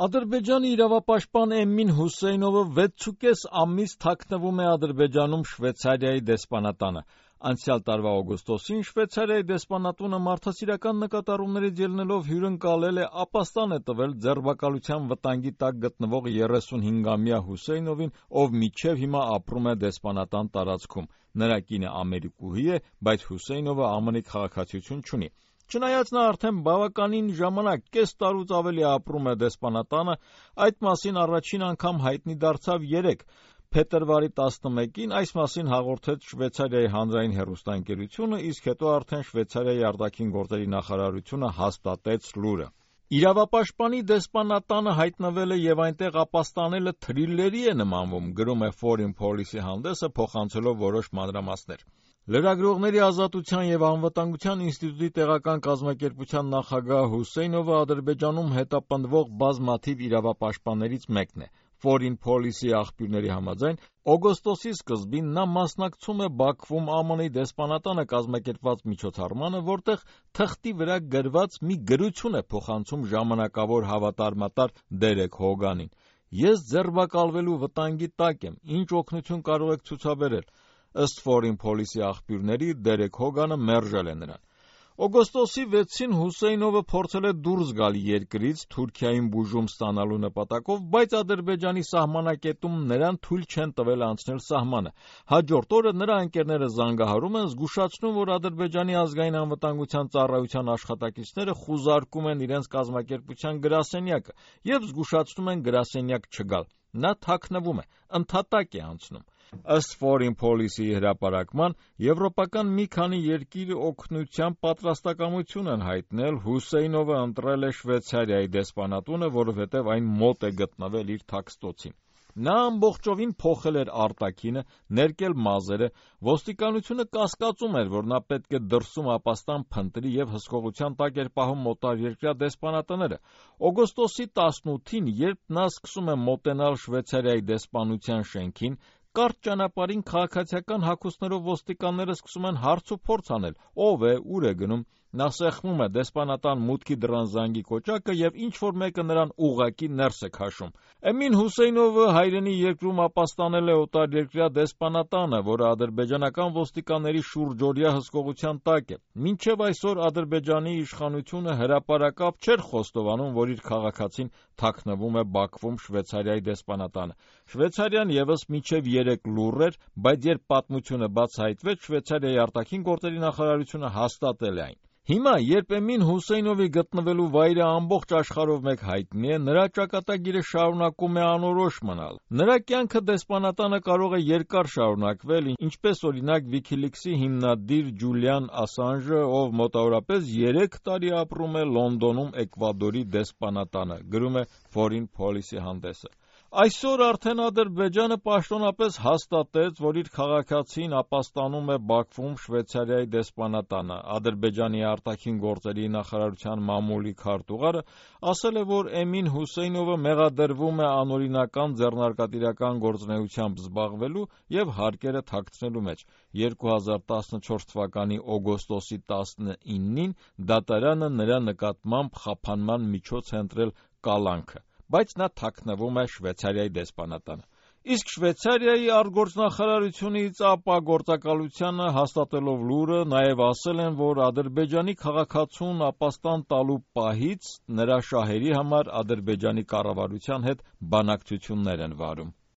Ադրբեջանի իրավապաշտպան Էմին Հուսեյնովը 6.5 ամիս թաքնվում է Ադրբեջանում Շվեյցարիայի դեսպանատանը։ Անցյալ տարվա օգոստոսին Շվեյցարիայի դեսպանատունը մարդասիրական նկատառումներից ելնելով հյուրընկալել է, ապաստան է տվել ձերբակալության վտանգի տակ գտնվող 35-ամյա Հուսեյնովին, ով մինչև հիմա ապրում է դեսպանատան տարածքում։ Նրա կինը ամերիկուհի է, բայց Հուսեյնովը ԱՄՆ քաղաքացիություն չունի։ Չնայած նա արդեն բավականին ժամանակ, կես տարուց ավելի ապրում է դեսպանատանը, այդ մասին առաջին անգամ հայտնի դարձավ երեկ։ Փետրվարի 11-ին այս մասին հաղորդեց Շվեյցարիայի հանրային հեռուստաընկերությունը, իսկ հետո արդեն Շվեյցարիայի արտաքին գործերի նախարարությունը հաստատեց լուրը։ Իրավապաշտպանի դեսպանատանը հայտնվել է եւ այնտեղ ապաստանելը թրիլերի է նմանվում, գրում է Foreign Policy հանդեսը, փոխանցելով որոշ մանրամասներ։ Լրագրողների ազատության եւ անվտանգության ինստիտուտի տեղական կազմակերպության նախագահ Հուսեյնովը Ադրբեջանում հետապնդվող բազմաթիվ իրավապաշտպաններից մեկն է։ Foreign Policy աղբյուրների համաձայն, օգոստոսի սկզբին նա մասնակցում է Բաքվում ԱՄՆ դեսպանատանը կազմակերպված միջոցառմանը, որտեղ թղթի վրա գրված մի գրություն է փոխանցում ժամանակավոր հավատարմատար Դերեկ Հոգանին։ Ես ձերբակալվելու վտանգի տակ եմ, ինչ օգնություն կարող եք ցուցաբերել։ Ըստ Foreign Policy աղբյուրների, Դերեկ Հոգանը մերժել է նրան։ Օգոստոսի 6-ին Հուսեյնովը փորձել է դուրս գալ երկրից Թուրքիային բուժում ստանալու նպատակով, բայց Ադրբեջանի սահմանակետում նրան թույլ չեն տվել անցնել սահմանը։ Հաջորդ օրը նրա ընկերները զանգահարում են, զգուշացնում, որ Ադրբեջանի ազգային անվտանգության ծառայության աշխատակիցները խուզարկում են իրենց կազմակերպության գրասենյակը եւ զգուշացնում են գրասենյակ չգալ։ Նա թաքնվում է, ընդհատակ է անցնում։ Ըստ Foreign Policy-ի հրապարակման, եվրոպական մի քանի երկիր օգնության պատրաստակամություն են հայտնել, Հուսեյնովը ընտրել է Շվեյցարիայի դեսպանատունը, որովհետև այն մոտ է գտնվել իր թաքստոցին։ Նա ամբողջովին փոխել էր արտաքինը, ներկել մազերը, ոստիկանությունը կասկածում էր, որ նա պետք է դրսում ապաստան փնտրի եւ հսկողության տակ էր պահում մոտարերկրյա դեսպանատները։ Օգոստոսի 18-ին, երբ նա սկսում է մոտենալ Շվեյցարիայի դեսպանության շենքին, կարճ ճանապարհին քաղաքացիական հագուստներով ոստիկանները սկսում են հարց ու փորձ անել. ով է, ուր է գնում։ Նա սեղմում է դեսպանատան մուտքի դռան զանգի կոճակը եւ ինչ-որ մեկը նրան ուղղակի ներս է քաշում։ Էմին Հուսեյնովը հայրենի երկրում ապաստանել է օտարերկրյա դեսպանատանը, որը ադրբեջանական ոստիկանների շուրջօրյա հսկողության տակ է։ Մինչև այսօր Ադրբեջանի իշխանությունը հրապարակապ չէր խոստովանում, որ իր քաղաքացին թաքնվում է Բաքվում Շվեյցարիայի դեսպանատանը։ Շվեյցարիան եւս մինչև 3 լուռ էր, բայց երբ պատմությունը բացահայտվեց, Շվեյցարիայի արտաքին գործերի նախարարությունը հաստատել է այն։ Հիմա, երբ Էմին Հուսեյնովի գտնվելու վայրը ամբողջ աշխարհով մեկ հայտնի է, նրա ճակատագիրը շարունակում է անորոշ մնալ։ Նրա կյանքը դեսպանատանը կարող է երկար շարունակվել, ինչպես օրինակ WikiLeaks-ի հիմնադիր Ջուլիան Ասանժը, ով մոտավորապես 3 տարի ապրում է Լոնդոնում Էկվադորի դեսպանատանը, գրում է Foreign Policy հանդեսը։ Այսօր արդեն Ադրբեջանը պաշտոնապես հաստատեց, որ իր քաղաքացին ապաստանում է Բաքվում Շվեյցարիայի դեսպանատանը։ Ադրբեջանի արտաքին գործերի նախարարության մամուլի քարտուղարը ասել է, որ Էմին Հուսեյնովը մեղադրվում է անօրինական ձեռնարկատիրական գործունեությամբ զբաղվելու եւ հարկերը թաքցնելու մեջ։ 2014 թվականի օգոստոսի 19-ին դատարանը նրա նկատմամբ խափանման միջոց է ընտրել կալանքը, բայց նա թաքնվում է Շվեյցարիայի դեսպանատանը։ Իսկ Շվեյցարիայի արտգործնախարարությունից ԱՊԱ գործակալությանը հաստատելով լուրը նաև ասել են, որ Ադրբեջանի քաղաքացուն ապաստան տալու պահից նրա շահերի համար Ադրբեջանի կառավարության հետ բանակցություններ են վարում։